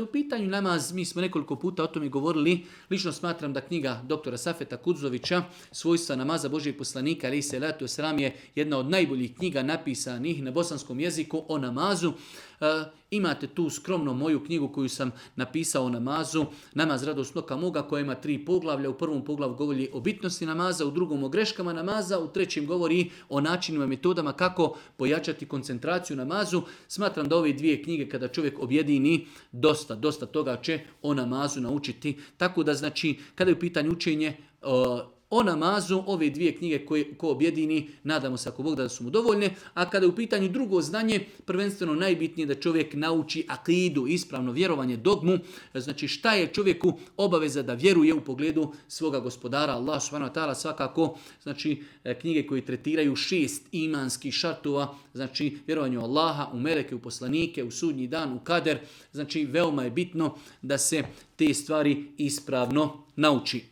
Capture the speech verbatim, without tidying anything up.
U pitanju namaz, mi smo nekoliko puta o tome govorili, lično smatram da knjiga doktora Safeta Kudzovića, Svojstva namaza Božijeg poslanika, alejhi selatu vesselam, je jedna od najboljih knjiga napisanih na bosanskom jeziku o namazu. E, imate tu skromno moju knjigu koju sam napisao o namazu, Namaz radost oka moga, koja ima tri poglavlja. U prvom poglavlju govori o bitnosti namaza, u drugom o greškama namaza, u trećem govori o načinima i metodama kako pojačati koncentraciju namazu. Smatram da ove dvije knjige, kada čovjek objedini, dosta, dosta toga će o namazu naučiti. Tako da, znači, kada je u pitanju učenje o, o namazu, ove dvije knjige koje ko objedini, nadamo se ako Bog da su mu dovoljne. A kada je u pitanju drugo znanje, prvenstveno najbitnije da čovjek nauči akidu, ispravno vjerovanje, dogmu. Znači, šta je čovjeku obaveza da vjeruje u pogledu svoga gospodara Allah subhanahu wa ta'ala, svakako, znači, knjige koje tretiraju šest imanskih šartova, znači vjerovanje u Allaha, u meleke, u poslanike, u sudnji dan, u kader. Znači, veoma je bitno da se te stvari ispravno nauči.